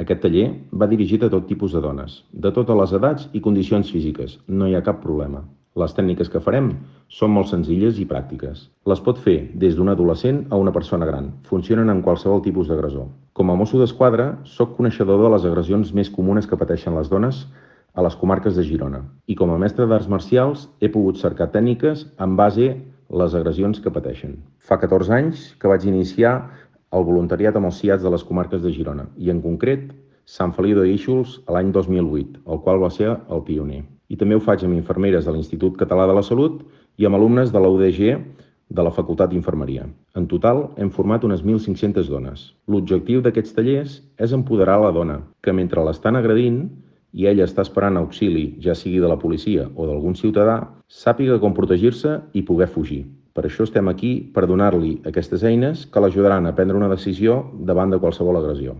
Aquest taller va dirigit a tot tipus de dones, de totes les edats i condicions físiques. No hi ha cap problema. Les tècniques que farem són molt senzilles i pràctiques. Les pot fer des d'un adolescent a una persona gran. Funcionen en qualsevol tipus d'agressor. Com a mosso d'esquadra, soc coneixedor de les agressions més comunes que pateixen les dones a les comarques de Girona. I com a mestre d'arts marcials he pogut cercar tècniques en base a les agressions que pateixen. Fa 14 anys que vaig iniciar el voluntariat amb els CIATs de les comarques de Girona i en concret Sant Feliu de Guíxols a l'any 2008, el qual va ser el pioner. I també ho faig amb infermeres de l'Institut Català de la Salut i amb alumnes de la UDG de la Facultat d'Infermeria. En total, hem format unes 1.500 dones. L'objectiu d'aquests tallers és empoderar la dona, que mentre l'estan agredint i ella està esperant auxili, ja sigui de la policia o d'algun ciutadà, sàpiga com protegir-se i poder fugir. Per això estem aquí per donar-li aquestes eines que l'ajudaran a prendre una decisió davant de qualsevol agressió.